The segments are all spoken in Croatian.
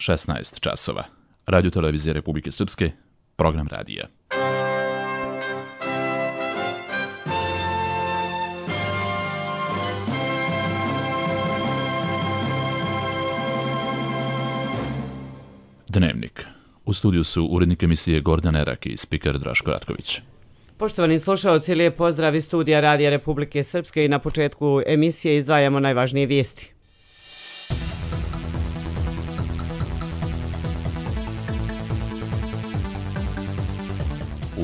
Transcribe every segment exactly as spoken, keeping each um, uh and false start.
šesnaest časova. Radio televizije Republike Srpske, program radija. Dnevnik. U studiju su urednik emisije Gordan Erak i spiker Draško Ratković. Poštovani slušalci, lijep pozdrav iz studija Radija Republike Srpske i na početku emisije izdvajamo najvažnije vijesti.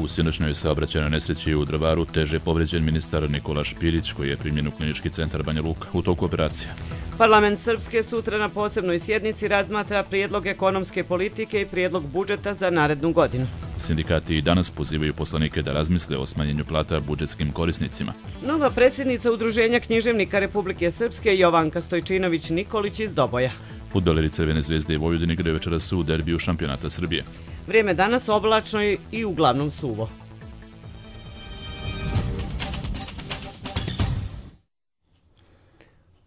U sinoćnoj saobraćajnoj nesreći u Drvaru teže povređen ministar Nikola Špirić, koji je primljen u klinički centar Banja Luka u toku operacije. Parlament Srpske sutra na posebnoj sjednici razmatra prijedlog ekonomske politike i prijedlog budžeta za narednu godinu. Sindikati i danas pozivaju poslanike da razmisle o smanjenju plata budžetskim korisnicima. Nova predsjednica Udruženja književnika Republike Srpske Jovanka Stojčinović Nikolić iz Doboja. Fudbaleri Crvene zvezde i Vojvodin igraju večeras u derbiju šampionata Srbije. Vrijeme danas oblačno i uglavnom suvo.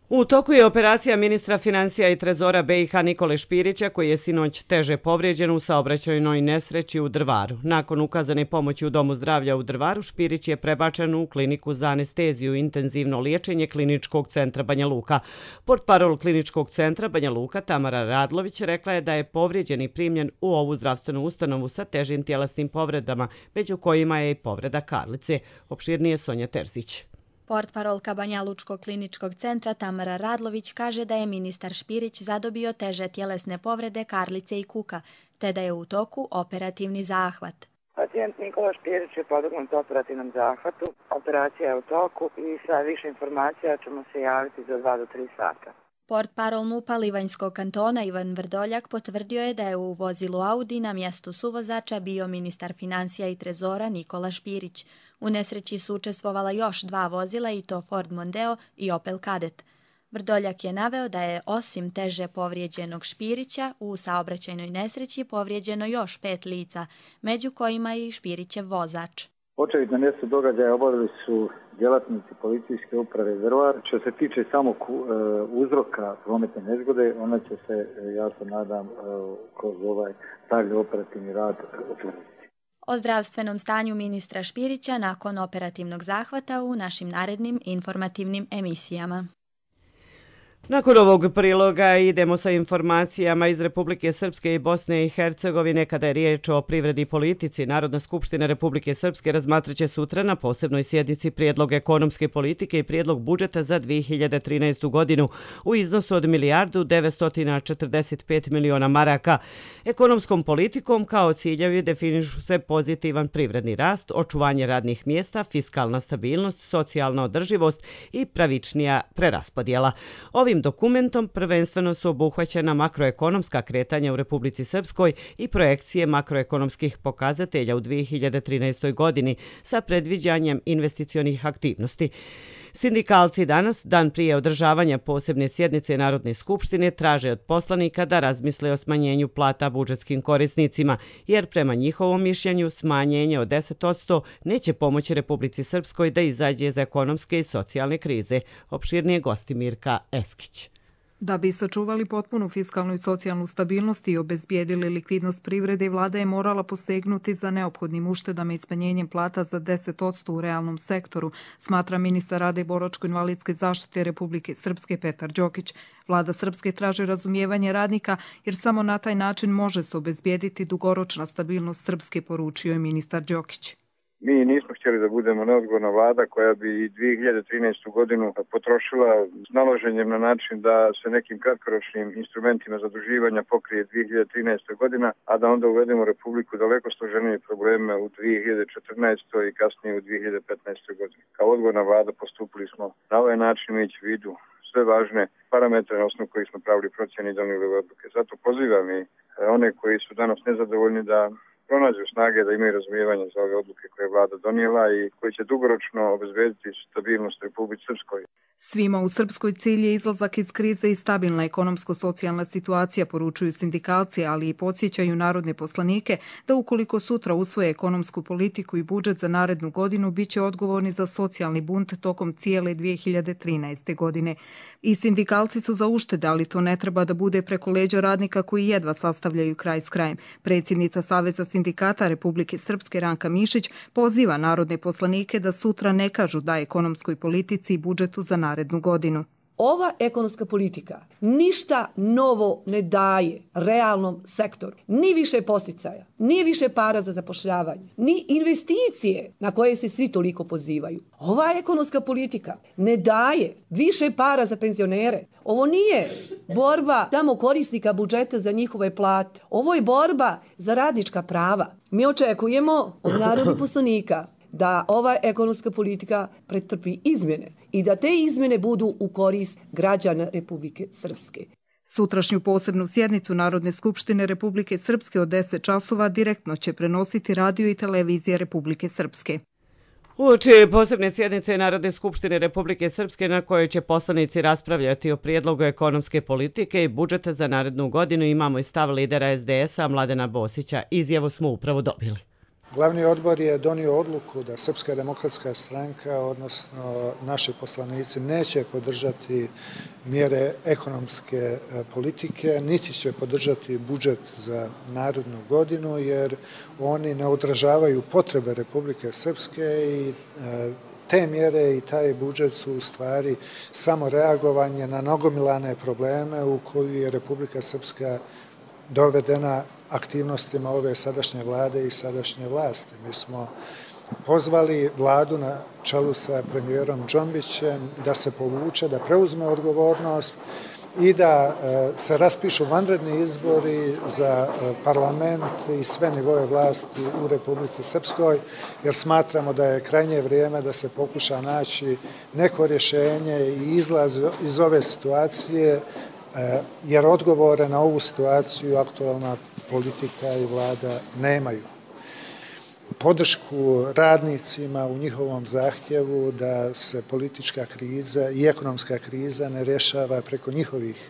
U toku je operacija ministra financija i trezora B i H Nikole Špirića, koji je sinoć teže povrijeđen u saobraćajnoj nesreći u Drvaru. Nakon ukazane pomoći u Domu zdravlja u Drvaru, Špirić je prebačen u kliniku za anesteziju i intenzivno liječenje Kliničkog centra Banja Luka. Portparol Kliničkog centra Banja Luka Tamara Radlović rekla je da je povrijeđeni primljen u ovu zdravstvenu ustanovu sa težim tjelesnim povredama, među kojima je i povreda karlice. Opširnije Sonja Terzić. Portparolka Banja Lučkog kliničkog centra Tamara Radlović kaže da je ministar Špirić zadobio teže tjelesne povrede karlice i kuka, te da je u toku operativni zahvat. Pacijent Nikola Špirić je podvrgnut operativnom zahvatu, operacija je u toku i sa više informacija ćemo se javiti za dva do tri sata. Portparol MUP-a Livanjskog kantona Ivan Vrdoljak potvrdio je da je u vozilu Audi na mjestu suvozača bio ministar financija i trezora Nikola Špirić. U nesreći su učestvovala još dva vozila i to Ford Mondeo i Opel Kadett. Vrdoljak je naveo da je osim teže povrijeđenog Špirića u saobraćajnoj nesreći povrijeđeno još pet lica, među kojima i Špirićev vozač. Očevid na mjestu događaja obavili su djelatnici policijske uprave Drvar. Što se tiče samog e, uzroka prometne nezgode, ona će se, ja se nadam, e, kroz ovaj dalji operativni rad utvrditi. O zdravstvenom stanju ministra Špirića nakon operativnog zahvata u našim narednim informativnim emisijama. Nakon ovog priloga idemo sa informacijama iz Republike Srpske i Bosne i Hercegovine. Kada je riječ o privredi i politici, Narodna skupština Republike Srpske razmatraće sutra na posebnoj sjednici prijedlog ekonomske politike i prijedlog budžeta za dvije hiljade trinaestu godinu u iznosu od milijardu devetsto četrdeset pet miliona maraka. Ekonomskom politikom kao ciljevi definišu se pozitivan privredni rast, očuvanje radnih mjesta, fiskalna stabilnost, socijalna održivost i pravičnija preraspodjela. Ovim dokumentom prvenstveno su obuhvaćena makroekonomska kretanja u Republici Srpskoj i projekcije makroekonomskih pokazatelja u dvije hiljade trinaestoj godini sa predviđanjem investicionih aktivnosti. Sindikalci danas, dan prije održavanja posebne sjednice Narodne skupštine, traže od poslanika da razmisle o smanjenju plata budžetskim korisnicima, jer prema njihovom mišljenju smanjenje od deset posto neće pomoći Republici Srpskoj da izađe iz ekonomske i socijalne krize. Opširnije gosti Mirka Eskić. Da bi sačuvali potpunu fiskalnu i socijalnu stabilnost i obezbijedili likvidnost privrede, vlada je morala posegnuti za neophodnim uštedama i smanjenjem plata za deset posto u realnom sektoru, smatra ministar rada i boračko-invalidske zaštite Republike Srpske Petar Đokić. Vlada Srpske traži razumijevanje radnika jer samo na taj način može se obezbijediti dugoročna stabilnost Srpske, poručio je ministar Đokić. Mi nismo htjeli da budemo neodgovorna vlada koja bi dvije hiljade trinaestu godinu potrošila s naloženjem na način da se nekim kratkoročnim instrumentima zaduživanja pokrije dvije hiljade trinaesta godina, a da onda uvedemo Republiku daleko složenije probleme u dvije hiljade četrnaestoj i kasnije u dvije hiljade petnaestoj godini. Kao odgovorna vlada postupili smo na ovaj način, imajući u vidu sve važne parametre na osnovu kojih smo pravili procjene i donijeli odluke. Zato pozivam i one koji su danas nezadovoljni da pronađu snage da imaju razumijevanje za ove odluke koje je vlada donijela i koji će dugoročno obezbediti stabilnost Republici Srpskoj. Svima u Srpskoj cilj je izlazak iz krize i stabilna ekonomsko-socijalna situacija, poručuju sindikalci, ali i podsjećaju narodne poslanike da ukoliko sutra usvoje ekonomsku politiku i budžet za narednu godinu, bit će odgovorni za socijalni bunt tokom cijele dvije hiljade trinaeste. godine. I sindikalci su za uštede, ali to ne treba da bude preko leđa radnika koji jedva sastavljaju kraj s krajem. Predsjednica Saveza sindikata Republike Srpske Ranka Mišić poziva narodne poslanike da sutra ne kažu da ekonomskoj politici i budžetu za narednu godinu. Ova ekonomska politika ništa novo ne daje realnom sektoru. Ni više posticaja, ni više para za zapošljavanje, ni investicije na koje se svi toliko pozivaju. Ova ekonomska politika ne daje više para za penzionere. Ovo nije borba samo korisnika budžeta za njihove plate. Ovo je borba za radnička prava. Mi očekujemo od narodnih poslanika da ova ekonomska politika pretrpi izmjene i da te izmjene budu u korist građana Republike Srpske. Sutrašnju posebnu sjednicu Narodne skupštine Republike Srpske od deset časova direktno će prenositi radio i televizija Republike Srpske. Uoči posebne sjednice Narodne skupštine Republike Srpske na kojoj će poslanici raspravljati o prijedlogu ekonomske politike i budžeta za narednu godinu imamo i stav lidera es de es a Mladena Bosića. Izjavu smo upravo dobili. Glavni odbor je donio odluku da Srpska demokratska stranka, odnosno naši poslanici, neće podržati mjere ekonomske politike, niti će podržati budžet za narednu godinu, jer oni ne odražavaju potrebe Republike Srpske i te mjere i taj budžet su u stvari samo reagovanje na nagomilane probleme u koju je Republika Srpska dovedena aktivnostima ove sadašnje vlade i sadašnje vlasti. Mi smo pozvali vladu na čelu sa premijerom Džombićem da se povuče, da preuzme odgovornost i da se raspišu vanredni izbori za parlament i sve nivoje vlasti u Republici Srpskoj, jer smatramo da je krajnje vrijeme da se pokuša naći neko rješenje i izlaz iz ove situacije, jer odgovore na ovu situaciju aktualna politika i vlada nemaju. Podršku radnicima u njihovom zahtjevu da se politička kriza i ekonomska kriza ne rješava preko njihovih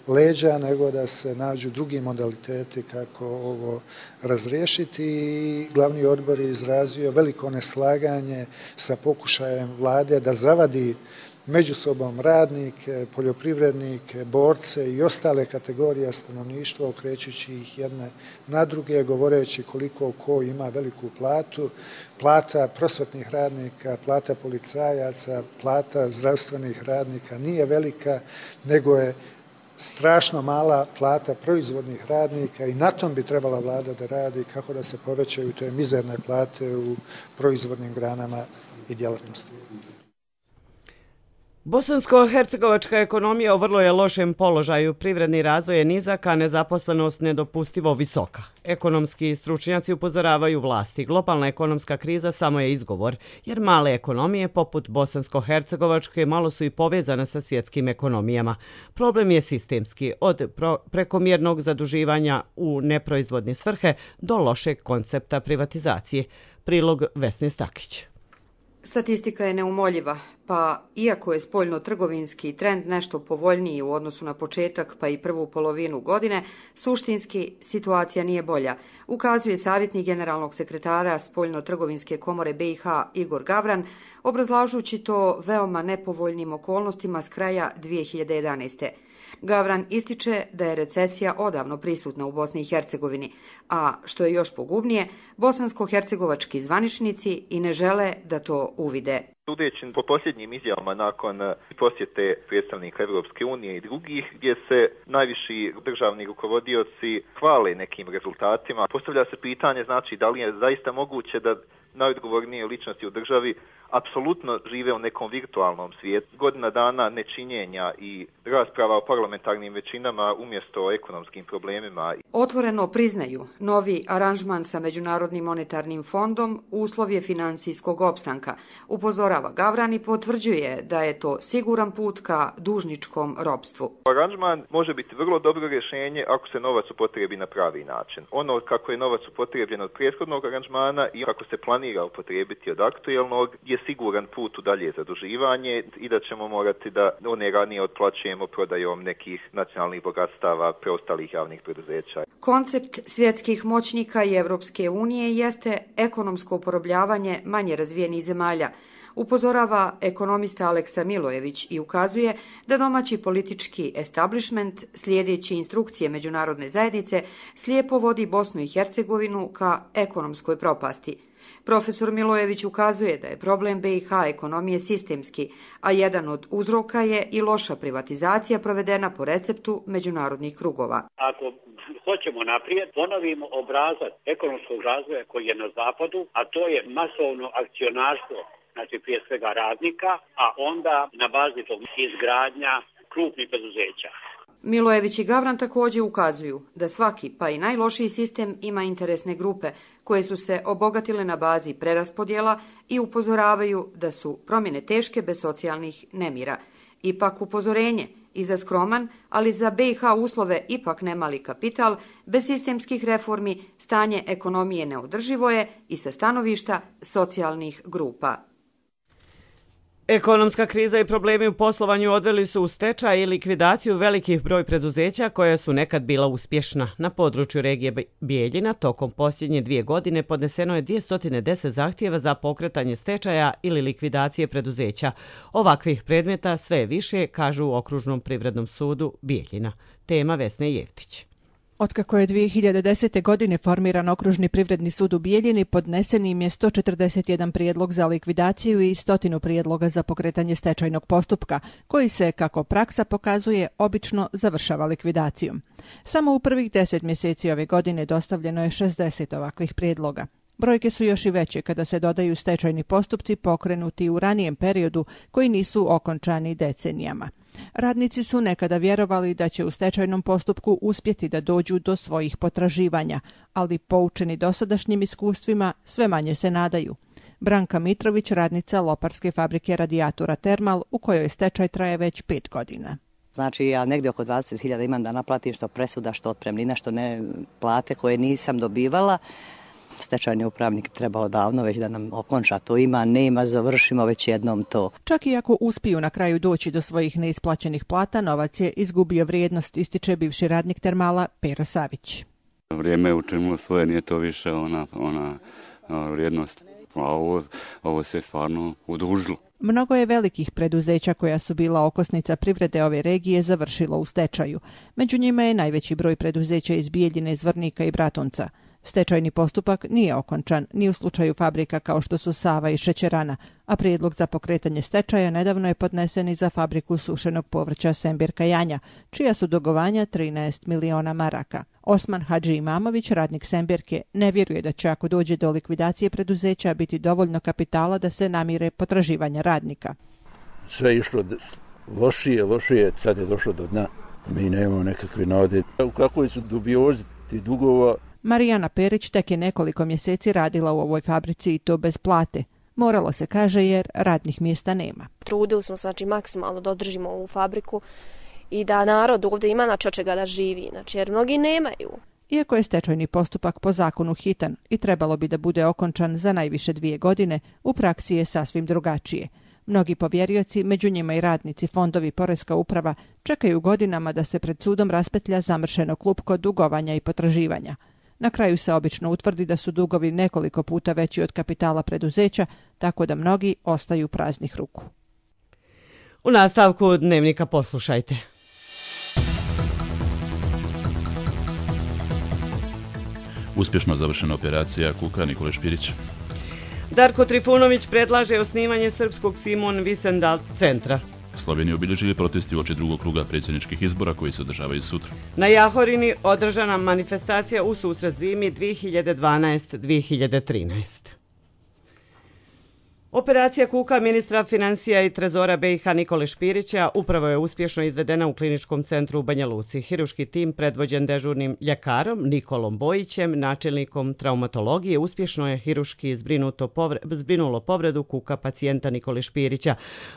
leđa, nego da se nađu drugi modaliteti kako ovo razriješiti. I glavni odbor je izrazio veliko neslaganje sa pokušajem vlade da zavadi među sobom radnike, poljoprivrednike, borce i ostale kategorije stanovništva, okrećući ih jedne na druge, govoreći koliko ko ima veliku platu. Plata prosvetnih radnika, plata policajaca, plata zdravstvenih radnika nije velika, nego je strašno mala plata proizvodnih radnika i na tom bi trebala vlada da radi kako da se povećaju te mizerne plate u proizvodnim granama i djelatnosti. Bosansko-hercegovačka ekonomija u vrlo je lošem položaju, privredni razvoj je nizak, a nezaposlenost nedopustivo visoka. Ekonomski stručnjaci upozoravaju vlasti. Globalna ekonomska kriza samo je izgovor, jer male ekonomije poput Bosansko-hercegovačke malo su i povezane sa svjetskim ekonomijama. Problem je sistemski, od prekomjernog zaduživanja u neproizvodne svrhe do lošeg koncepta privatizacije. Prilog Vesne Stakić. Statistika je neumoljiva, pa iako je spoljno-trgovinski trend nešto povoljniji u odnosu na početak pa i prvu polovinu godine, suštinski situacija nije bolja, ukazuje savjetnik generalnog sekretara Spoljno-trgovinske komore be i ha Igor Gavran, obrazlažući to veoma nepovoljnim okolnostima s kraja dvije hiljade jedanaeste. Gavran ističe da je recesija odavno prisutna u Bosni i Hercegovini, a što je još pogubnije, bosansko-hercegovački zvaničnici i ne žele da to uvide. Sudeći po posljednjim izjavama nakon posjete predstavnika Evropske unije i drugih, gdje se najviši državni rukovodioci hvale nekim rezultatima, postavlja se pitanje, znači, da li je zaista moguće da najodgovornije ličnosti u državi apsolutno žive u nekom virtualnom svijetu. Godina dana nečinjenja i rasprava o parlamentarnim većinama umjesto o ekonomskim problemima. Otvoreno priznaju novi aranžman sa Međunarodnim monetarnim fondom uslov je financijskog opstanka. Upozorava Gavran i potvrđuje da je to siguran put ka dužničkom ropstvu. Aranžman može biti vrlo dobro rješenje ako se novac upotrebi na pravi način. Ono kako je novac upotrebljen od prethodnog aranžmana i kako se planira upotrebiti od aktuelnog je siguran put u dalje zaduživanje i da ćemo morati da one ranije otplaćujemo prodajom nekih nacionalnih bogatstava preostalih javnih preduzeća. Koncept svjetskih moćnika i Evropske unije jeste ekonomsko porobljavanje manje razvijenih zemalja, upozorava ekonomista Aleksa Milojević i ukazuje da domaći politički establishment, slijedeći instrukcije međunarodne zajednice, slijepo vodi Bosnu i Hercegovinu ka ekonomskoj propasti. Profesor Milojević ukazuje da je problem B i H ekonomije sistemski, a jedan od uzroka je i loša privatizacija provedena po receptu međunarodnih krugova. Ako hoćemo naprijed, ponovimo obrazac ekonomskog razvoja koji je na zapadu, a to je masovno akcionarstvo, znači prije svega radnika, a onda na bazi tog izgradnja krupnih preduzeća. Milojević i Gavran također ukazuju da svaki, pa i najlošiji sistem ima interesne grupe koje su se obogatile na bazi preraspodjela i upozoravaju da su promjene teške bez socijalnih nemira. Ipak upozorenje i za skroman, ali za B i H uslove ipak nemali kapital, bez sistemskih reformi stanje ekonomije neodrživo je i sa stanovišta socijalnih grupa. Ekonomska kriza i problemi u poslovanju odveli su u stečaj i likvidaciju velikih broj preduzeća koja su nekad bila uspješna. Na području regije Bijeljina tokom posljednje dvije godine podneseno je dvjesto deset zahtjeva za pokretanje stečaja ili likvidacije preduzeća. Ovakvih predmeta sve je više, kažu u Okružnom privrednom sudu Bijeljina. Tema Vesne Jeftić. Otkako je dvije hiljade desete. godine formiran Okružni privredni sud u Bijeljini, podnesen im je sto četrdeset jedan prijedlog za likvidaciju i stotinu prijedloga za pokretanje stečajnog postupka, koji se, kako praksa pokazuje, obično završava likvidacijom. Samo u prvih deset mjeseci ove godine dostavljeno je šezdeset ovakvih prijedloga. Brojke su još i veće kada se dodaju stečajni postupci pokrenuti u ranijem periodu koji nisu okončani decenijama. Radnici su nekada vjerovali da će u stečajnom postupku uspjeti da dođu do svojih potraživanja, ali poučeni dosadašnjim iskustvima sve manje se nadaju. Branka Mitrović, radnica Loparske fabrike radijatora Termal, u kojoj stečaj traje već pet godina. Znači ja negdje oko dvadeset hiljada imam da naplatim što presuda, što otpremnina, što ne plate koje nisam dobivala. Stečajni upravnik trebao davno već da nam okonča to, ima, nema, završimo već jednom to. Čak i ako uspiju na kraju doći do svojih neisplaćenih plata, novac je izgubio vrijednost, ističe bivši radnik Termala Pero Savić. Vrijeme je učinilo svoje, nije to više ona, ona, ona vrijednost, a ovo, ovo se stvarno udužilo. Mnogo je velikih preduzeća koja su bila okosnica privrede ove regije završilo u stečaju. Među njima je najveći broj preduzeća iz Bijeljine, Zvornika i Bratunca. Stečajni postupak nije okončan ni u slučaju fabrika kao što su Sava i Šećerana, a prijedlog za pokretanje stečaja nedavno je podnesen i za fabriku sušenog povrća Sembirka Janja, čija su dugovanja trinaest miliona maraka. Osman Hadži Imamović, radnik Sembirke, ne vjeruje da će ako dođe do likvidacije preduzeća biti dovoljno kapitala da se namire potraživanja radnika. Sve je išlo lošije, lošije, sad je došlo do dna. Mi nemamo nekakve nade. U kakvoj su dubiozi ti dugova? Marijana Perić tek je nekoliko mjeseci radila u ovoj fabrici i to bez plate. Moralo se, kaže, jer radnih mjesta nema. Trudili smo se, znači, maksimalno da održimo ovu fabriku i da narod ovdje ima znači, od čega da živi, znači, jer mnogi nemaju. Iako je stečajni postupak po zakonu hitan i trebalo bi da bude okončan za najviše dvije godine, u praksi je sasvim drugačije. Mnogi povjerioci, među njima i radnici, fondovi, poreska uprava, čekaju godinama da se pred sudom raspetlja zamršeno klupko dugovanja i potraživanja. Na kraju se obično utvrdi da su dugovi nekoliko puta veći od kapitala preduzeća, tako da mnogi ostaju praznih ruku. U nastavku Dnevnika poslušajte. Uspješno završena operacija Kuka, Nikola Špirić. Darko Trifunović predlaže osnivanje Srpskog Simon Wiesenthal centra. Sloveniju obilježili protesti uoči drugog kruga predsjedničkih izbora koji se održavaju sutra. Na Jahorini održana manifestacija u susret zimi dvije hiljade dvanaeste dvije hiljade trinaeste. Operacija Kuka ministra financija i trezora B i H Nikole Špirića upravo je uspješno izvedena u kliničkom centru u Banja Luci. Hiruški tim predvođen dežurnim ljekarom Nikolom Bojićem, načelnikom traumatologije, uspješno je hiruški zbrinulo povredu kuka pacijenta Nikole Špirića.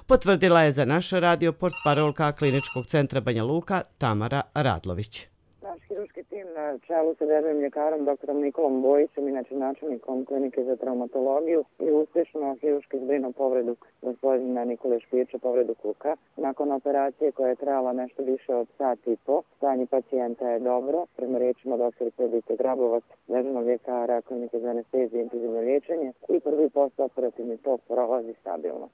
Potvrdila je za naš radio portparolka kliničkog centra Banja Luka Tamara Radlović. Naš hiruški tim na čelu sa dežurnim ljekarom doktorom Nikolom Bojićem, inače načelnikom klinike za traumatologiju, i uspješno hiruški zbrinuo povredu gospodina Nikole Špirića, povredu kuka. Nakon operacije koja je trajala nešto više od sat i po, stanje pacijenta je dobro. Prema riječima doktorice Edite Grabovac, dežurnog ljekara klinike za anesteziju i intenzivno liječenje, i prvi postoperativni tok prolazi stabilno.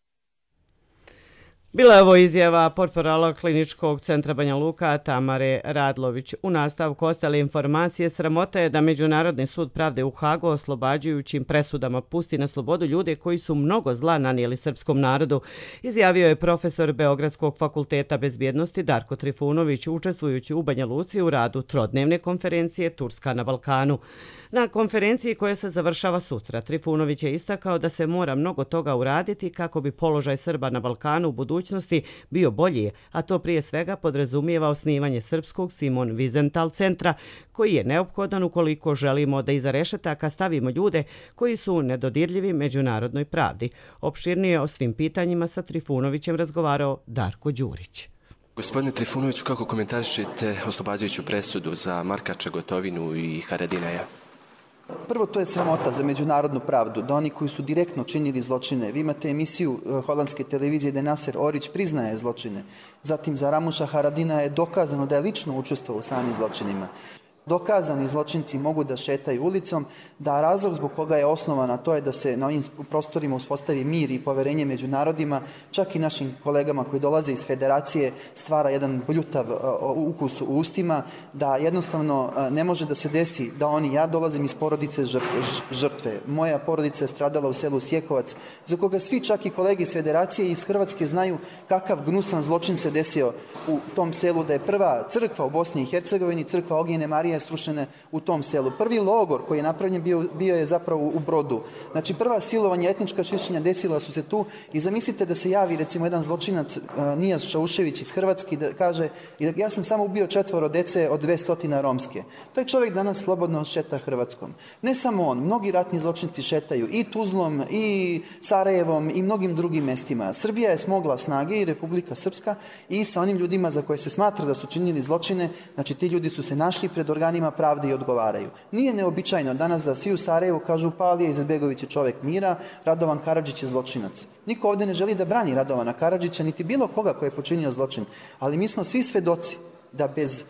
Bila je ovo izjava portparala kliničkog centra Banja Luka Tamare Radlović. U nastavku ostale informacije, sramota je da Međunarodni sud pravde u Hagu oslobađajućim presudama pusti na slobodu ljude koji su mnogo zla nanijeli srpskom narodu, izjavio je profesor Beogradskog fakulteta bezbjednosti Darko Trifunović, učestvujući u Banja Luci u radu trodnevne konferencije Turska na Balkanu. Na konferenciji koja se završava sutra, Trifunović je istakao da se mora mnogo toga uraditi kako bi položaj Srba na Balkanu u budućnosti bio bolji, a to prije svega podrazumijeva osnivanje srpskog Simon Wiesenthal centra, koji je neophodan ukoliko želimo da iza rešetaka stavimo ljude koji su nedodirljivi međunarodnoj pravdi. Opširnije o svim pitanjima sa Trifunovićem razgovarao Darko Đurić. Gospodine Trifunoviću, kako komentarišete oslobađajuću presudu za Markača, Gotovinu i Haradinaja? Prvo, to je sramota za međunarodnu pravdu, da oni koji su direktno činili zločine. Vi imate emisiju holandske televizije da Naser Orić priznaje zločine. Zatim za Ramuša Haradina je dokazano da je lično učestvovao u samim zločinima. Dokazani zločinci mogu da šetaju ulicom, da razlog zbog koga je osnovana to je da se na ovim prostorima uspostavi mir i poverenje među narodima, čak i našim kolegama koji dolaze iz federacije stvara jedan bljutav ukus u ustima, da jednostavno ne može da se desi da oni, ja dolazim iz porodice žrtve, moja porodica je stradala u selu Sjekovac, za koga svi čak i kolege iz federacije i iz Hrvatske znaju kakav gnusan zločin se desio u tom selu, da je prva crkva u Bosni i Hercegovini, crkva Ognjene Marije, je srušene u tom selu. Prvi logor koji je napravljen bio, bio je zapravo u Brodu. Znači prva silovanja, etnička čišćenja desila su se tu i zamislite da se javi recimo jedan zločinac uh, Nijas Čaušević iz Hrvatske da kaže ja sam samo ubio četvoro dece od dvesta romske. Taj čovjek danas slobodno šeta Hrvatskom. Ne samo on, mnogi ratni zločinci šetaju i Tuzlom i Sarajevom i mnogim drugim mestima. Srbija je smogla snage i Republika Srpska i sa onim ljudima za koje se smatra da su činili zločine, znači ti ljudi su se našli pred organima pravde i odgovaraju. Nije neobičajno danas da svi u Sarajevu kažu Palija Izetbegović je čovjek mira, Radovan Karadžić je zločinac. Niko ovdje ne želi da brani Radovana Karadžića, niti bilo koga koji je počinio zločin, ali mi smo svi svedoci da bez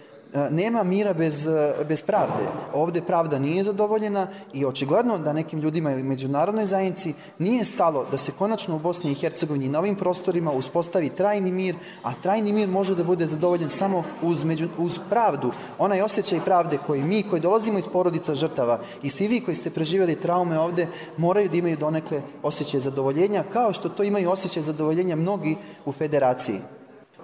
nema mira bez, bez pravde. Ovdje pravda nije zadovoljena i očigledno da nekim ljudima i međunarodnoj zajednici nije stalo da se konačno u Bosni i Hercegovini na ovim prostorima uspostavi trajni mir, a trajni mir može da bude zadovoljen samo uz, među, uz pravdu. Onaj osjećaj pravde koji mi, koji dolazimo iz porodica žrtava i svi vi koji ste preživjeli traume ovdje, moraju da imaju donekle osjećaj zadovoljenja, kao što to imaju osjećaj zadovoljenja mnogi u federaciji.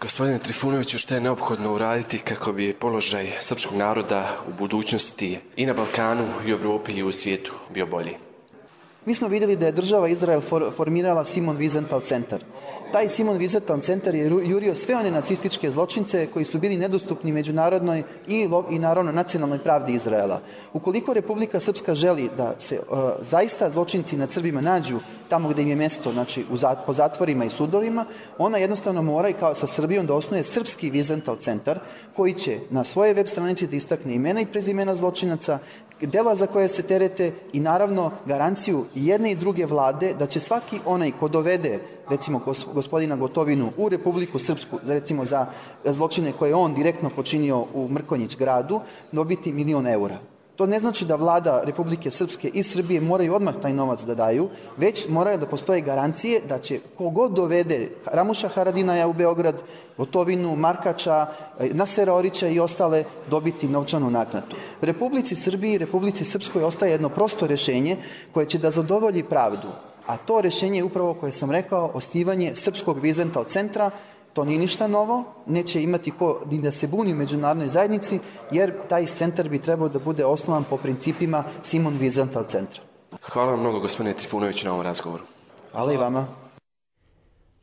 Gospodine Trifunoviću, što je neophodno uraditi kako bi položaj srpskog naroda u budućnosti i na Balkanu, i u Evropi, i u svijetu bio bolji? Mi smo vidjeli da je država Izrael for, formirala Simon Wiesenthal centar. Taj Simon Wiesenthal centar je jurio sve one nacističke zločince koji su bili nedostupni međunarodnoj i, i naravno nacionalnoj pravdi Izraela. Ukoliko Republika Srpska želi da se uh, zaista zločinci nad Srbima nađu tamo gdje im je mjesto, znači u zat, po zatvorima i sudovima, ona jednostavno mora i kao sa Srbijom da osnuje srpski Wiesenthal centar koji će na svoje web stranici da istakne imena i prezimena zločinaca, dela za koje se terete i naravno garanciju jedne i druge vlade da će svaki onaj ko dovede recimo gospodina Gotovinu u Republiku Srpsku, recimo za zločine koje on direktno počinio u Mrkonjić gradu, dobiti milion eura. To ne znači da vlada Republike Srpske i Srbije moraju odmah taj novac da daju, već moraju da postoje garancije da će kogod dovede Ramuša Haradinaja u Beograd, Gotovinu, Markača, Nasera Orića i ostale dobiti novčanu naknadu. Republici Srbiji i Republici Srpskoj ostaje jedno prosto rješenje koje će da zadovolji pravdu, a to rješenje je upravo koje sam rekao, osnivanje Srpskog Wiesenthal centra. To nije ništa novo, neće imati ko ni da se buni u međunarodnoj zajednici, jer taj centar bi trebao da bude osnovan po principima Simon Wiesenthal centra. Hvala vam mnogo, gospodine Trifunoviću, na ovom razgovoru. Hvala i vama.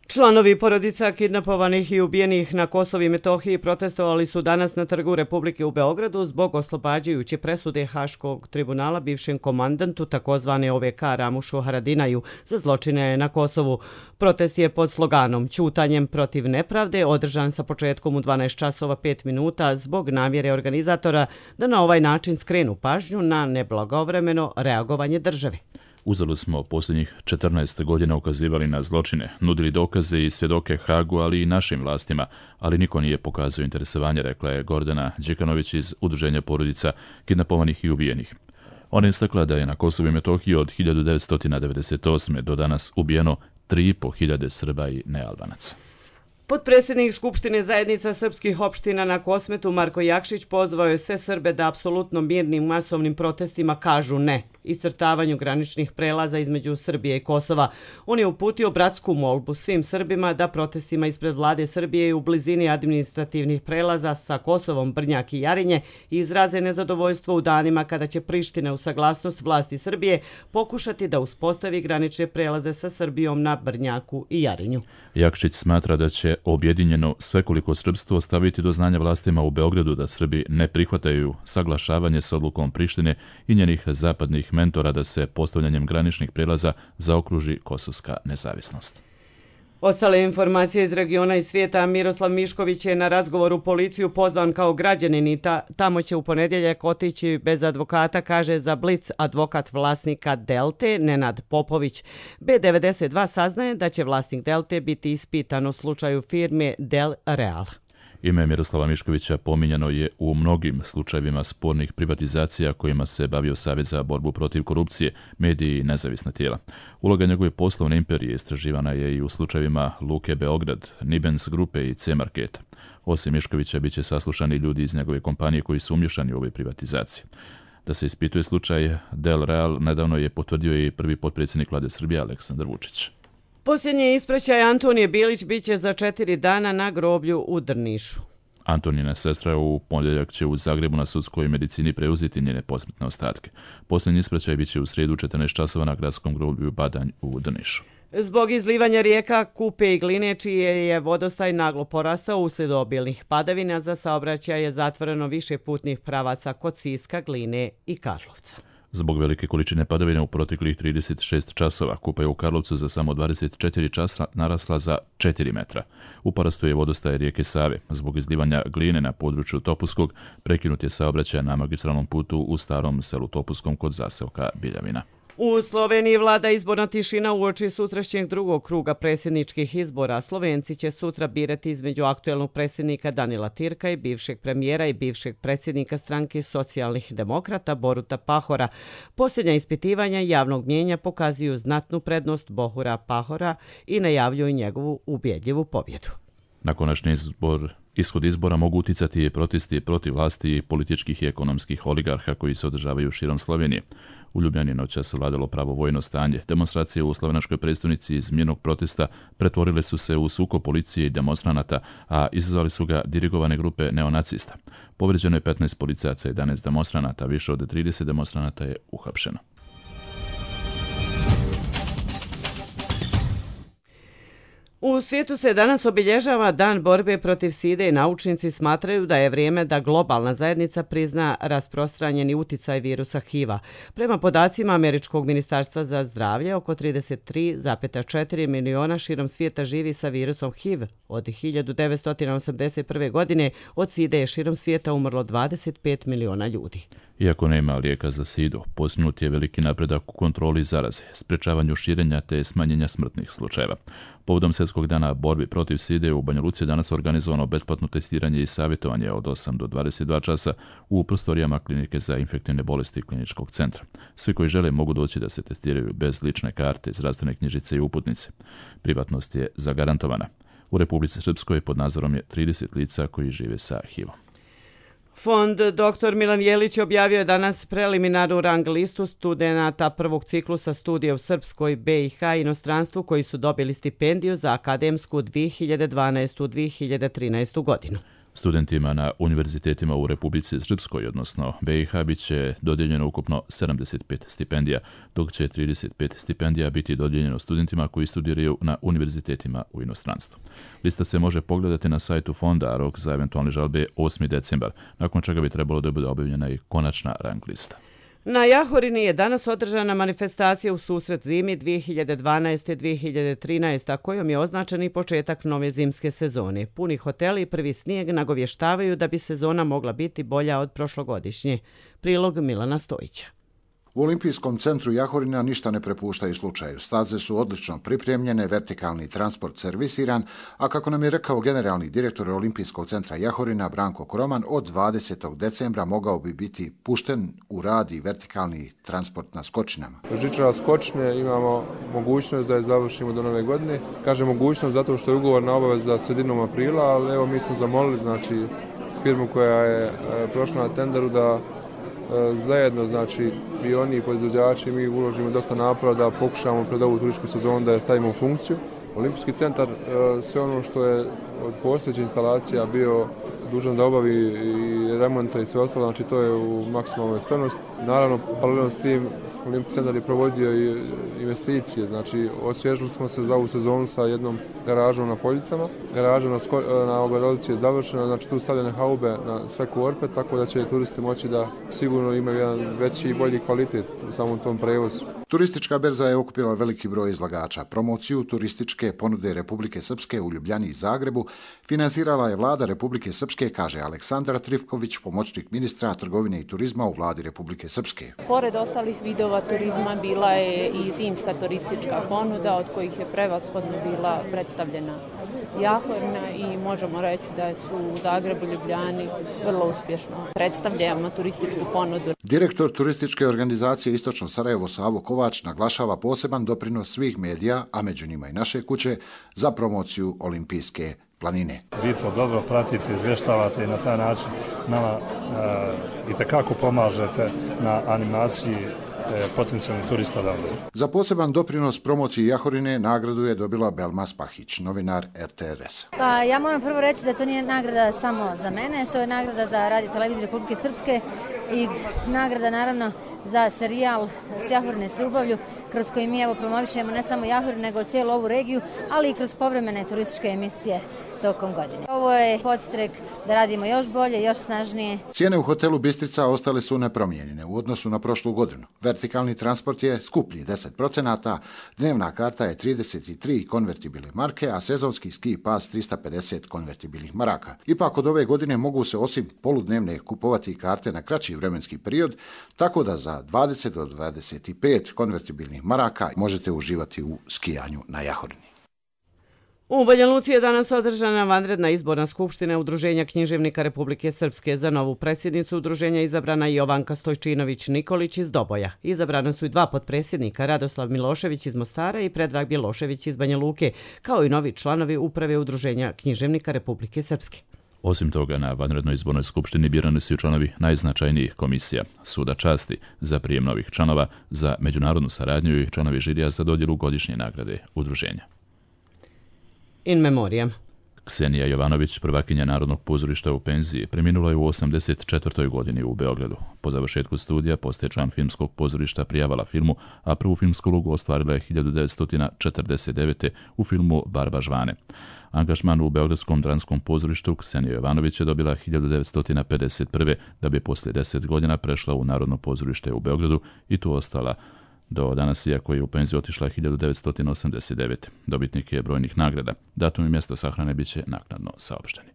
Članovi porodica kidnapovanih i ubijenih na Kosovu i Metohiji protestovali su danas na Trgu Republike u Beogradu zbog oslobađajuće presude Haškog tribunala bivšem komandantu takozvane O V K Ramušu Haradinaju za zločine na Kosovu. Protest je pod sloganom "Ćutanjem protiv nepravde" održan sa početkom u dvanaest časova pet minuta zbog namjere organizatora da na ovaj način skrenu pažnju na neblagovremeno reagovanje države. Uzalud smo posljednjih četrnaest godina ukazivali na zločine, nudili dokaze i svjedoke Hagu, ali i našim vlastima, ali niko nije pokazao interesovanje, rekla je Gordana Đekanović iz Udruženja porodica kidnapovanih i ubijenih. Ona je istakla da je na Kosovu i Metohiji od hiljadu devetsto devedeset osme do danas ubijeno tri i po hiljade Srba i nealbanaca. Potpredsjednik Skupštine zajednica srpskih opština na Kosmetu Marko Jakšić pozvao je sve Srbe da apsolutno mirnim masovnim protestima kažu ne iscrtavanju graničnih prelaza između Srbije i Kosova. On je uputio bratsku molbu svim Srbima da protestima ispred vlade Srbije u blizini administrativnih prelaza sa Kosovom, Brnjak i Jarinje izraze nezadovoljstvo u danima kada će Priština u saglasnost vlasti Srbije pokušati da uspostavi granične prelaze sa Srbijom na Brnjaku i Jarinju. Jakšić smatra da će objedinjeno svekoliko srpstvo staviti do znanja vlastima u Beogradu da Srbi ne prihvataju saglašavanje s odlukom Prištine i njenih zapadnih mentora da se postavljanjem graničnih prelaza zaokruži kosovska nezavisnost. Ostale informacije iz regiona i svijeta. Miroslav Mišković je na razgovoru policiju pozvan kao građanin i ta, tamo će u ponedjeljak otići bez advokata, kaže za Blic advokat vlasnika Delte Nenad Popović. B devedeset dva saznaje da će vlasnik Delte biti ispitan u slučaju firme Del Real. Ime Miroslava Miškovića pominjano je u mnogim slučajevima spornih privatizacija kojima se bavio Savez za borbu protiv korupcije, mediji i nezavisna tijela. Uloga njegove poslovne imperije istraživana je i u slučajevima Luke Beograd, Nibens grupe i C-Marketa. Osim Miškovića bit će saslušani ljudi iz njegove kompanije koji su umješani u ove privatizacije. Da se ispituje slučaj Del Real nedavno je potvrdio i prvi potpredsjednik vlade Srbije Aleksandar Vučić. Posljednji ispraćaj Antonije Bilić biće za četiri dana na groblju u Drnišu. Antonina sestra u ponedjeljak će u Zagrebu na sudskoj medicini preuzeti njene posmrtne ostatke. Posljednji ispraćaj biće u srijedu četrnaest časova na gradskom groblju Badanj u Drnišu. Zbog izlivanja rijeka Kupe i Gline, čije je vodostaj naglo porastao uslijed obilnih padavina, za saobraćaj je zatvoreno više putnih pravaca kod Siska, Gline i Karlovca. Zbog velike količine padavina u proteklih trideset šest časova Kupa je u Karlovcu za samo dvadeset četiri časa narasla za četiri metra. U porastu je vodostaj rijeke Save. Zbog izlivanja Gline na području Topuskog prekinut je saobraćaj na magistralnom putu u starom selu Topuskom kod zaseoka Biljavina. U Sloveniji vlada izborna tišina uoči sutrašnjeg drugog kruga predsjedničkih izbora. Slovenci će sutra birati između aktuelnog predsjednika Danila Tirka i bivšeg premijera i bivšeg predsjednika stranke socijalnih demokrata Boruta Pahora. Posljednja ispitivanja javnog mnijenja pokazuju znatnu prednost Bohura Pahora i najavljuju njegovu ubjedljivu pobjedu. Na konačni izbor, ishod izbora mogu uticati i protesti protiv vlasti i političkih i ekonomskih oligarha koji se održavaju širom Slovenije. U Ljubljani noćas vladalo pravovojno stanje. Demonstracije u slovenačkoj predstavnici iz mirnog protesta pretvorile su se u sukob policije i demonstranata, a izazvali su ga dirigovane grupe neonacista. Povređeno je petnaest policajaca i jedanaest demonstranata, više od trideset demonstranata je uhapšeno. U svijetu se danas obilježava Dan borbe protiv side i naučnici smatraju da je vrijeme da globalna zajednica prizna rasprostranjeni uticaj virusa H I V-a. Prema podacima Američkog ministarstva za zdravlje, oko trideset tri zarez četiri miliona širom svijeta živi sa virusom H I V. Od hiljadu devetsto osamdeset prve. godine od side je širom svijeta umrlo dvadeset pet miliona ljudi. Iako nema lijeka za sidu, postignut je veliki napredak u kontroli zaraze, sprečavanju širenja te smanjenja smrtnih slučajeva. Povodom Svjetskog dana borbi protiv side u Banja Luci danas organizovano besplatno testiranje i savjetovanje od osam do dvadeset dva časa u prostorijama klinike za infektivne bolesti kliničkog centra. Svi koji žele mogu doći da se testiraju bez lične karte, zdravstvene knjižice i uputnice. Privatnost je zagarantovana. U Republici Srpskoj pod nadzorom je trideset lica koji žive sa H I V-om. Fond doktor Milan Jelić objavio je danas preliminarnu rang listu studenata prvog ciklusa studija u Srpskoj, B i H inostranstvu koji su dobili stipendiju za akademsku dvije hiljade dvanaestu do dvije hiljade trinaestu. godinu. Studentima na univerzitetima u Republici Srpskoj, odnosno B i H, bit će dodijeljeno ukupno sedamdeset pet stipendija, dok će trideset pet stipendija biti dodijeljeno studentima koji studiraju na univerzitetima u inostranstvu. Lista se može pogledati na sajtu fonda, a rok za eventualne žalbe je osmi decembar, nakon čega bi trebalo da bude objavljena i konačna rang lista. Na Jahorini je danas održana manifestacija u susret zimi dvije hiljade dvanaeste dvije hiljade trinaeste, kojom je označen i početak nove zimske sezone. Puni hoteli i prvi snijeg nagovještavaju da bi sezona mogla biti bolja od prošlogodišnje. Prilog Milana Stojića. U Olimpijskom centru Jahorina ništa ne prepuštaju slučaju. Staze su odlično pripremljene, vertikalni transport servisiran, a kako nam je rekao generalni direktor Olimpijskog centra Jahorina Branko Koroman, od dvadesetog decembra mogao bi biti pušten u rad i vertikalni transport na skočinama. Žičara skočne imamo mogućnost da je završimo do nove godine. Kažem mogućnost zato što je ugovor na obavez za sredinom aprila, ali evo mi smo zamolili znači firmu koja je prošla na tenderu da zajedno, znači i oni podizvođači, mi uložimo dosta napora da pokušamo pred ovu turističku sezonu da je stavimo u funkciju. Olimpijski centar, sve ono što je od postojećih instalacija bio dužan da obavi i remonta i sve ostalo, znači to je u maksimalnoj spremnosti. Naravno, paralelno s tim, Olimpijski centar je provodio i investicije, znači osvježili smo se za ovu sezonu sa jednom garažom na Poljicama. Garaža na, na Ogledolici je završena, znači tu stavljene haube na sve korpe, tako da će turisti moći da sigurno imaju jedan veći i bolji kvalitet u samom tom prevozu. Turistička berza je okupila veliki broj izlagača. Promociju turističke ponude Republike Srpske u Ljubljani i Zagrebu finansirala je vlada Republike Srpske, kaže Aleksandar Trifković, pomoćnik ministra trgovine i turizma u vladi Republike Srpske. Pored ostalih vidova turizma bila je i zimska turistička ponuda, od kojih je prevashodno bila predstavljena Jahorina i možemo reći da su u Zagrebu i Ljubljani vrlo uspješno predstavljamo turističku ponudu. Direktor turističke organizacije Istočno Sarajevo Savo Kovač naglašava poseban doprinos svih medija, a među njima i naše kuće, za promociju olimpijske planine. Vi to dobro pratite, izvještavate i na taj način nama e, itekako pomažete na animaciji potencijalnih turista da dođu. Za poseban doprinos promociji Jahorine nagradu je dobila Belma Spahić, novinar R T R S. Pa ja moram prvo reći da to nije nagrada samo za mene, to je nagrada za Radio Televiziju Republike Srpske i nagrada naravno za serijal S Jahorine s ljubavlju, kroz koji mi evo promovišemo ne samo Jahorinu nego cijelu ovu regiju, ali i kroz povremene turističke emisije tokom godine. Ovo je podstrek da radimo još bolje, još snažnije. Cijene u hotelu Bistrica ostale su nepromijenjene u odnosu na prošlu godinu. Vertikalni transport je skuplji deset procenata, dnevna karta je trideset tri konvertibilne marke, a sezonski ski pas trista pedeset konvertibilnih maraka. Ipak od ove godine mogu se osim poludnevne kupovati karte na kraći vremenski period, tako da za dvadeset do dvadeset pet konvertibilnih maraka možete uživati u skijanju na Jahorini. U Banja Luci je danas održana vanredna izborna skupština Udruženja književnika Republike Srpske. Za novu predsjednicu udruženja izabrana je Jovanka Stojčinović-Nikolić iz Doboja. Izabrana su i dva potpredsjednika, Radoslav Milošević iz Mostara i Predrag Bjelošević iz Banja Luke, kao i novi članovi uprave Udruženja književnika Republike Srpske. Osim toga, na vanrednoj izbornoj skupštini birani su i članovi najznačajnijih komisija, Suda časti za prijem novih članova, za međunarodnu saradnju i članovi žirija za dodjelu godišnje nagrade udruženja. In memoriam. Ksenija Jovanović, prvakinja Narodnog pozorišta u penziji, preminula je u osamdeset četvrtoj godini u Beogradu. Po završetku studija postaje član filmskog pozorišta prijavala filmu, a prvu filmsku ulogu ostvarila je hiljadu devetsto četrdeset devete. u filmu Barba Žvane. Angažman u Beogradskom dranskom pozorištu Ksenija Jovanović je dobila hiljadu devetsto pedeset prve. da bi poslije deset godina prešla u Narodno pozorište u Beogradu i tu ostala do danas, iako je u penziju otišla hiljadu devetsto osamdeset devete. Dobitnik je brojnih nagrada. Datum i mjesto sahrane bit će naknadno saopšteni.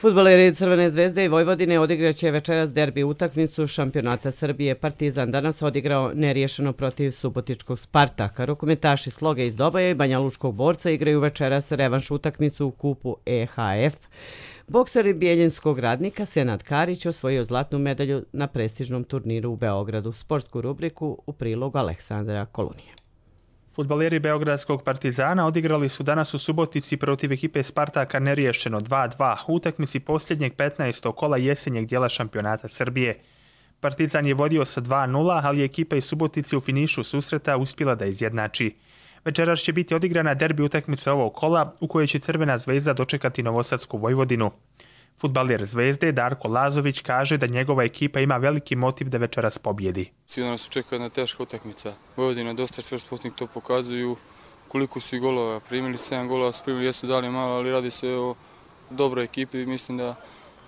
Fudbaleri Crvene zvezde i Vojvodine odigraće večeras derbi utakmicu šampionata Srbije. Partizan danas odigrao neriješeno protiv subotičkog Spartaka. Rukometaši Sloge iz Doboja i Banja Lučkog Borca igraju večeras revanš utakmicu u kupu E H F. Bokser Bijeljinskog Radnika Senad Karić osvojio zlatnu medalju na prestižnom turniru u Beogradu. Sportsku rubriku u prilogu Aleksandra Kolunije. Fudbaleri Beogradskog Partizana odigrali su danas u Subotici protiv ekipe Spartaka neriješeno dva dva u utakmici posljednjeg petnaestog kola jesenjeg dijela šampionata Srbije. Partizan je vodio sa dva nula, ali je ekipa iz Subotice u finišu susreta uspjela da izjednači. Večeras će biti odigrana derbi utakmica ovog kola u kojoj će Crvena zvezda dočekati Novosadsku Vojvodinu. Fudbaler Zvezde Darko Lazović kaže da njegova ekipa ima veliki motiv da večeras pobjedi. Sigurno nas očekuje jedna teška utakmica. Vojvodina je dosta čvrstotnik, to pokazuju koliko su i golova primili. sedam golova su primili, jesu dali malo, ali radi se o dobroj ekipi. Mislim da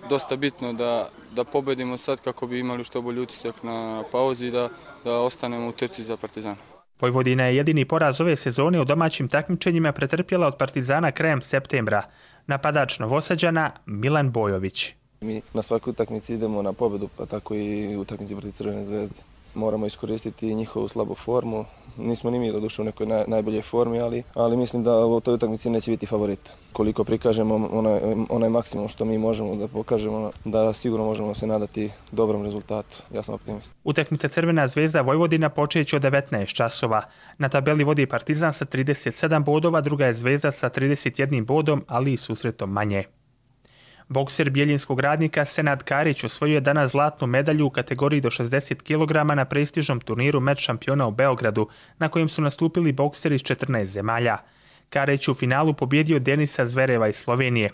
dosta bitno da, da pobedimo sad kako bi imali što bolji utisak na pauzi i da, da ostanemo u trci za Partizan. Vojvodina je jedini poraz ove sezone u domaćim takmičenjima pretrpjela od Partizana krajem septembra. Napadač Novosađana Milan Bojović. Mi na svakoj utakmici idemo na pobedu, pa tako i utakmici protiv Crvene zvezde. Moramo iskoristiti njihovu slabu formu. Nismo ni mi doduše u nekoj naj, najboljoj formi, ali, ali mislim da u toj utakmici neće biti favorit. Koliko prikažemo onaj, onaj maksimum što mi možemo da pokažemo, da sigurno možemo se nadati dobrom rezultatu. Ja sam optimist. Utakmica Crvena zvezda Vojvodina počeće od devetnaest časova. Na tabeli vodi Partizan sa trideset sedam bodova, druga je Zvezda sa trideset jedan bodom, ali i susretom manje. Bokser Bjeljinskog Radnika Senad Karić osvojio je danas zlatnu medalju u kategoriji do šezdeset kilograma na prestižnom turniru Meč šampiona u Beogradu, na kojem su nastupili bokseri iz četrnaest zemalja. Karić u finalu pobjedio Denisa Zvereva iz Slovenije.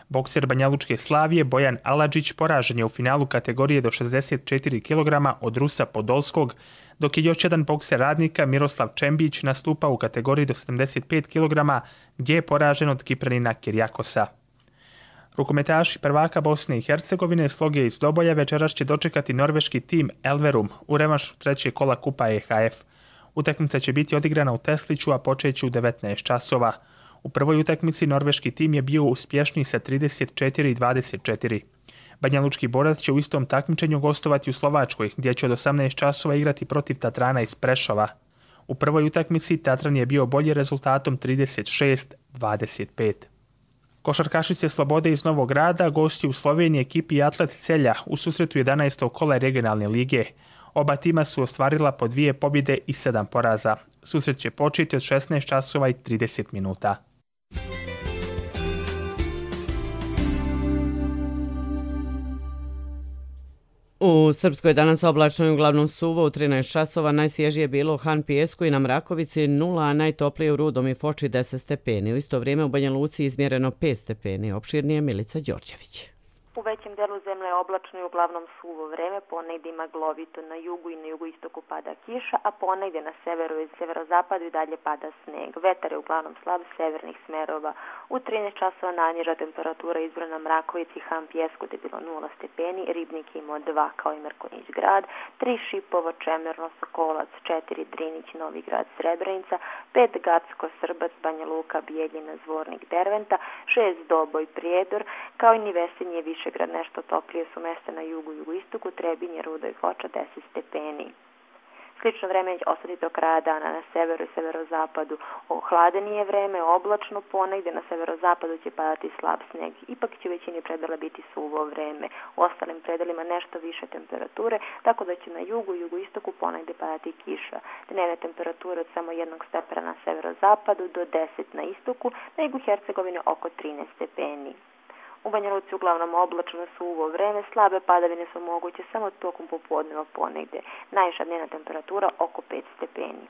Bokser Banjalučke Slavije Bojan Aladžić poražen je u finalu kategorije do šezdeset četiri kilograma od Rusa Podolskog, dok je još jedan bokser Radnika Miroslav Čembić nastupao u kategoriji do sedamdeset pet kilograma, gdje je poražen od Kipranina Kirjakosa. Rukometaši prvaka Bosne i Hercegovine Sloge iz Doboja večeras će dočekati norveški tim Elverum u revanšu trećeg kola Kupa E H F. Utakmica će biti odigrana u Tesliću, a počeće u devetnaest časova. U prvoj utakmici norveški tim je bio uspješniji sa trideset četiri dvadeset četiri. Banjalučki borac će u istom takmičenju gostovati u Slovačkoj, gdje će od osamnaest časova igrati protiv Tatrana iz Prešova. U prvoj utakmici Tatran je bio bolji rezultatom trideset šest dvadeset pet. Košarkašice Slobode iz Novog Grada gosti u Sloveniji ekipi Atlet Celja u susretu jedanaestog kola regionalne lige. Oba tima su ostvarila po dvije pobjede i sedam poraza. Susret će početi od šesnaest časova i trideset minuta. U Srpskoj danas oblačno i uglavnom suvo, u trinaest časova najsvježije je bilo u Han Pijesku i na Mrakovici nula, a najtoplije u Rudom i Foči deset stepeni. U isto vrijeme u Banja Luci izmjereno pet stepeni. Opširnije Milica Đorđević. U većem delu zemlje je oblačno i uglavnom suvo vreme, ponegdje maglovito, na jugu i na jugoistoku pada kiša, a ponegdje na severu i severozapadu i dalje pada sneg. Vetar je uglavnom slab severnih smerova. U trinaest časova najniža temperatura izbrana Mrakovici, Han Pijesku gdje je bilo nula stepeni, Ribnik imao dva kao i Mrkonjić grad, tri Šipovo, Čemerno, Sokolac, četiri Drinić, Novi grad, Srebrenica, pet Gacko, Srbac, Banja Luka, Bijeljina, Zvornik, Derventa, šest Doboj, Prijedor, kao i Nivesinje, Višegrad, nešto toplije su mjesta na jugu i jugoistoku, Trebinje, Rudo i Foča deset stepeni. Slično vreme će ostati do kraja dana na severu i severozapadu. Ohladnije vreme, oblačno, ponegdje na severozapadu će padati slab sneg. Ipak će u većini predela biti suvo vreme. U ostalim predelima nešto više temperature, tako da će na jugu i jugoistoku ponegdje padati kiša. Dnevne temperature od samo jednog stepena na severozapadu do deset na istoku, na jugu Hercegovine oko trinaest stepeni. U Banja Luci uglavnom oblačno suvo vreme, slabe padavine su moguće samo tokom popodneva ponegdje. Najviša dnevna temperatura oko pet stepeni.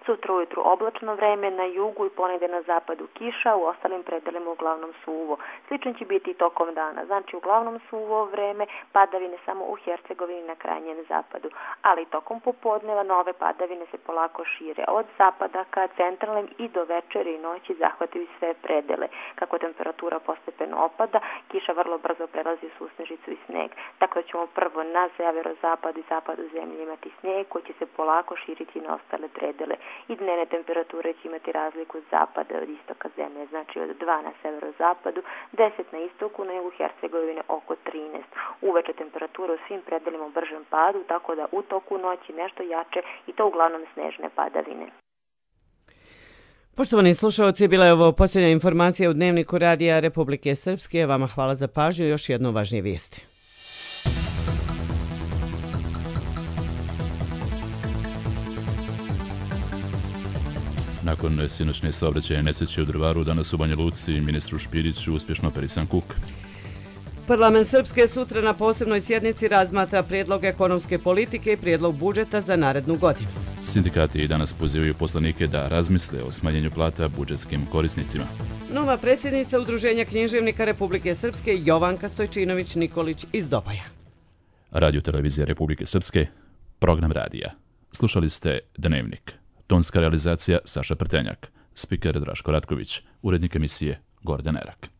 Sutra ujutru oblačno vreme, na jugu i ponegdje na zapadu kiša, u ostalim predelima uglavnom suvo. Slično će biti i tokom dana, znači uglavnom suvo vreme, padavine samo u Hercegovini na krajnjem zapadu. Ali tokom popodneva nove padavine se polako šire od zapada ka centralnim i do večeri i noći zahvataju sve predele. Kako temperatura postepeno opada, kiša vrlo brzo prelazi u susnežicu i sneg. Tako da ćemo prvo na severozapadu i zapadu zemlje imati sneg koji će se polako širiti na ostale predele. I dnevne temperature će imati razliku zapada od istoka zemlje, znači od dva na severozapadu, deset na istoku, na jugu Hercegovine oko trinaest. Uveče temperatura u svim predelima u bržem padu, tako da u toku noći nešto jače i to uglavnom snežne padavine. Poštovani slušalci, bila je ovo posljednja informacija u Dnevniku Radija Republike Srpske. Vama hvala za pažnju. Još jedno važnije vijesti. Nakon sinoćne saobraćajne nesreće u Drvaru, danas u Banja Luci ministru Špiriću uspješno operisan kuk. Parlament Srpske sutra na posebnoj sjednici razmatra prijedlog ekonomske politike i prijedlog budžeta za narednu godinu. Sindikati danas pozivaju poslanike da razmisle o smanjenju plata budžetskim korisnicima. Nova predsjednica Udruženja književnika Republike Srpske Jovanka Stojčinović-Nikolić iz Doboja. Radio Televizija Republike Srpske, program radija. Slušali ste Dnevnik. Tonska realizacija Saša Prtenjak, spiker Draško Ratković, urednik emisije Gordan Erak.